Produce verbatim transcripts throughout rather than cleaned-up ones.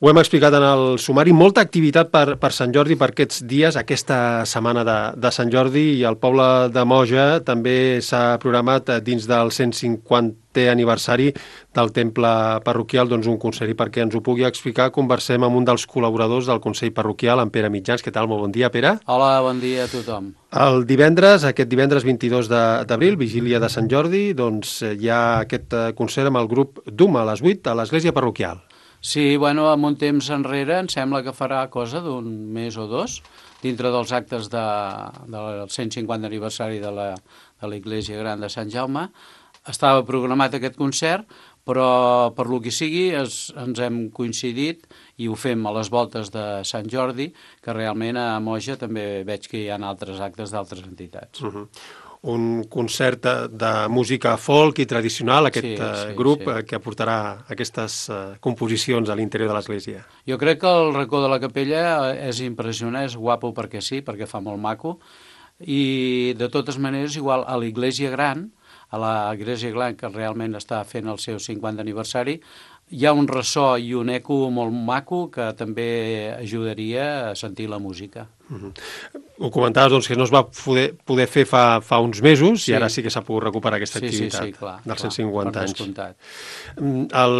Ho hem explicat en el sumari, molta activitat per, per Sant Jordi, per aquests dies, aquesta setmana de, de Sant Jordi, i el poble de Moja també s'ha programat dins del cent cinquantè aniversari del temple parroquial, doncs un concert, i perquè ens ho pugui explicar conversem amb un dels col·laboradors del Consell Parroquial, en Pere Mitjans. Què tal? Molt bon dia, Pere. Hola, bon dia a tothom. El divendres, aquest divendres vint-i-dos d'abril, vigília de Sant Jordi, doncs hi ha aquest concert amb el grup Duma a les vuit a l'església parroquial. Sí, bueno, en un temps enrere em sembla que farà cosa d'un mes o dos, dintre dels actes de, del cent cinquantè aniversari de la, de la Iglésia Gran de Sant Jaume. Estava programat aquest concert, però per lo que sigui es, ens hem coincidit i ho fem a les voltes de Sant Jordi, que realment a Moja també veig que hi ha altres actes d'altres entitats. Uh-huh. Un concert de, de música folk i tradicional, aquest sí, sí, grup sí. que aportarà aquestes uh, composicions a l'interior de l'església. Jo crec que el racó de la capella és impressionant, és guapo perquè sí, perquè fa molt maco, i de totes maneres, igual a l'Iglésia Gran, a l'Església Gran, que realment està fent el seu cinquantè aniversari, hi ha un ressò i un eco molt maco que també ajudaria a sentir la música. Uh-huh. Ho comentaves, doncs, que no es va poder, poder fer fa, fa uns mesos, sí. I ara sí que s'ha pogut recuperar aquesta sí, activitat sí, sí, clar, dels clar, cent cinquanta anys. Descomptat. El,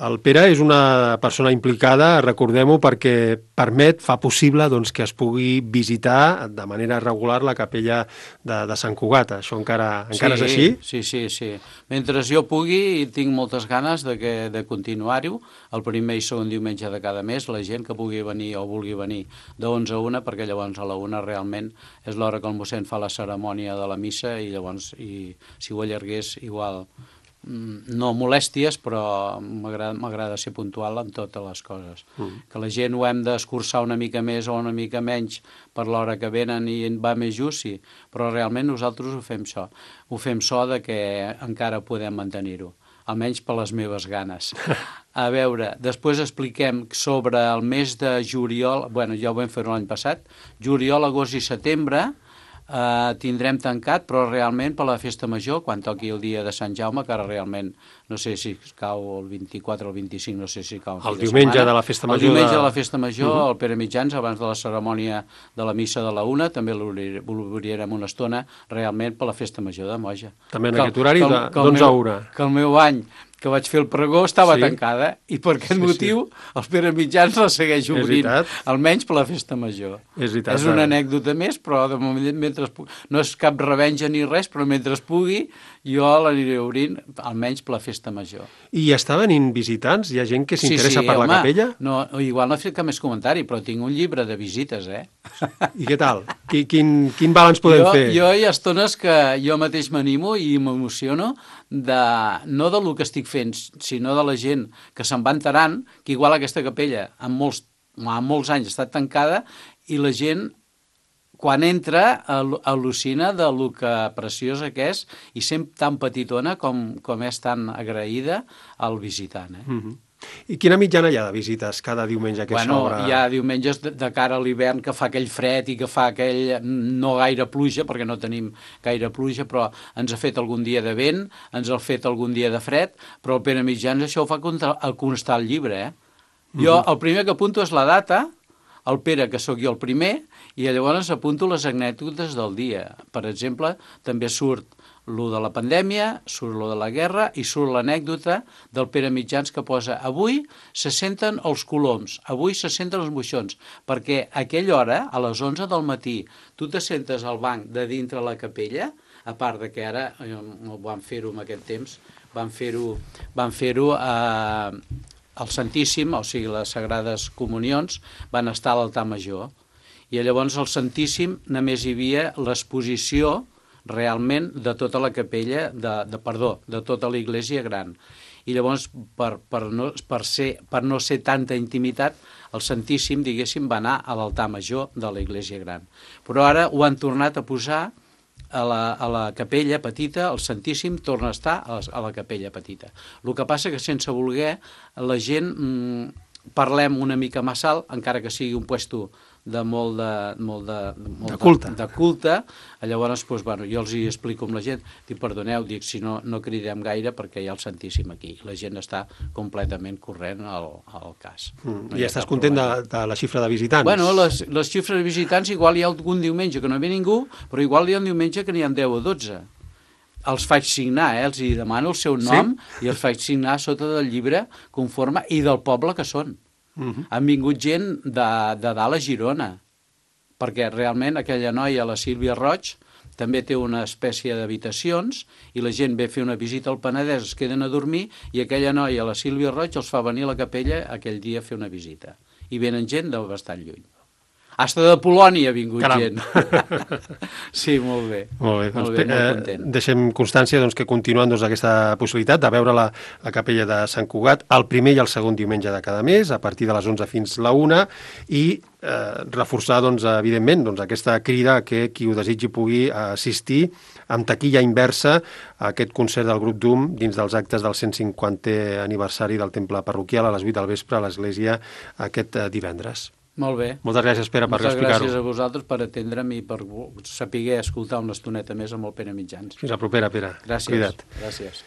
el Pere és una persona implicada, recordem-ho, perquè permet, fa possible doncs, que es pugui visitar de manera regular la capella de, de Sant Cugat. Això encara, encara sí, és així? Sí, sí, sí. Mentre jo pugui i tinc moltes ganes de, que, de continuar-ho, el primer i segon diumenge de cada mes, la gent que pugui venir o vulgui venir de onze a una, perquè llavors a la una realment és l'hora que el mossèn fa la cerimònia de la missa i llavors, i, si ho allargués, igual, no molèsties, però m'agrada ser puntual en totes les coses. Mm. Que la gent ho hem d'escurçar una mica més o una mica menys per l'hora que venen i va més just, sí, però realment nosaltres ho fem so. Ho fem so de que encara podem mantenir-ho, almenys per les meves ganes. A veure, després expliquem sobre el mes de juliol, bueno, ja ho vam fer l'any passat, juliol, agost i setembre, eh, tindrem tancat, però realment per la festa major, quan toqui el dia de Sant Jaume, que ara realment no sé si cau el vint-i-quatre o el vint-i-cinc, no sé si cau el diumenge de la festa major. El diumenge de la festa major, uh-huh. El Pere Mitjans, abans de la cerimònia de la missa de la una, també l'obrirem una estona, realment per la festa major de Moja. També en aquest horari d'onze a una. Que el meu any que vaig fer el pregó estava sí. tancada i per aquest sí, motiu sí. el Pere Mitjans la segueix obrint, almenys per la festa major. És, veritat, és una anècdota més, però de moment, mentre no és cap revenja ni res, però mentre es pugui jo l'aniré obrint, almenys per la festa major. I està venint visitants? Hi ha gent que s'interessa sí, sí, per home, la capella? No, igual no he fet cap més comentari, però tinc un llibre de visites, eh? I què tal? Quin, quin, quin balanç podem jo, fer? Jo hi ha estones que jo mateix m'animo i m'emociono, de, no del que estic fent, sinó de la gent que se'n va enterant, que igual aquesta capella en molts, en molts anys ha estat tancada i la gent quan entra al·lucina de lo que preciosa que és i sempre tan petitona com, com és tan agraïda al visitant. Eh? Mm-hmm. I quina mitjana hi ha de visites cada diumenge que bueno, s'obre? Hi ha diumenges de, de cara a l'hivern que fa aquell fred i que fa aquell no gaire pluja, perquè no tenim gaire pluja, però ens ha fet algun dia de vent, ens ha fet algun dia de fred, però el Pere Mitjans això ho fa constar al llibre. Eh? Jo el primer que apunto és la data, el Pere, que sóc jo el primer, i llavors apunto les anècdotes del dia. Per exemple, també surt lo de la pandèmia, surt lo de la guerra i surt l'anècdota del Pere Mitjans que posa avui se senten els coloms, avui se senten els moixons, perquè a aquella hora, a les onze del matí, tu te sentes al banc de dintre la capella, a part de que ara, no van fer-ho en aquest temps, van fer-ho van fer-ho a... el Santíssim, o sigui, les Sagrades Comunions, van estar a l'altar major. I llavors al Santíssim només hi havia l'exposició realment de tota la capella, de, de perdó, de tota l'Església Gran. I llavors, per, per, no, per, ser, per no ser tanta intimitat, el Santíssim, diguéssim, va anar a l'altar major de l'Església Gran. Però ara ho han tornat a posar a la, a la capella petita, el Santíssim torna a estar a la, a la capella petita. El que passa que sense voler la gent mmm, parlem una mica massa alt, encara que sigui un puesto de molt de, molt de, molt de culte. De, de culte. Llavors, doncs, bueno, jo els hi explico amb la gent, dic, perdoneu, dic, si no, no cridem gaire perquè hi ha el Santíssim aquí. La gent està completament corrent al, al cas. Mm. No I estàs content de, de la xifra de visitants? Bueno, les, les xifres de visitants, igual hi ha algun diumenge que no ve ningú, però igual hi ha un diumenge que n'hi ha deu o dotze. Els faig signar, eh? Els hi demano el seu nom, sí? I els faig signar sota del llibre conforme i del poble que són. Uh -huh. Han vingut gent de, de dalt a Girona, perquè realment aquella noia, la Sílvia Roig, també té una espècie d'habitacions i la gent ve a fer una visita al Penedès, es queden a dormir i aquella noia, la Sílvia Roig, els fa venir a la capella aquell dia a fer una visita. I venen gent de bastant lluny. Hasta de Polònia ha vingut Caram. gent. Sí, molt bé. Molt bé, doncs, molt bé, molt content. Eh, deixem constància doncs, que continuen doncs, aquesta possibilitat de veure la, la capella de Sant Cugat el primer i el segon diumenge de cada mes, a partir de les onze fins la una, i eh, reforçar, doncs, evidentment, doncs, aquesta crida que qui ho desitgi pugui assistir amb taquilla inversa a aquest concert del grup Doom dins dels actes del cent cinquantè aniversari del temple parroquial a les vuit del vespre a l'església aquest eh, divendres. Molt bé. Moltes gràcies, Pere, per explicar-ho. Moltes gràcies a vosaltres per atendre'm i per saber escoltar una estoneta més amb el Pere Mitjans. Fins la propera, Pere. Gràcies. Cuida't. Gràcies.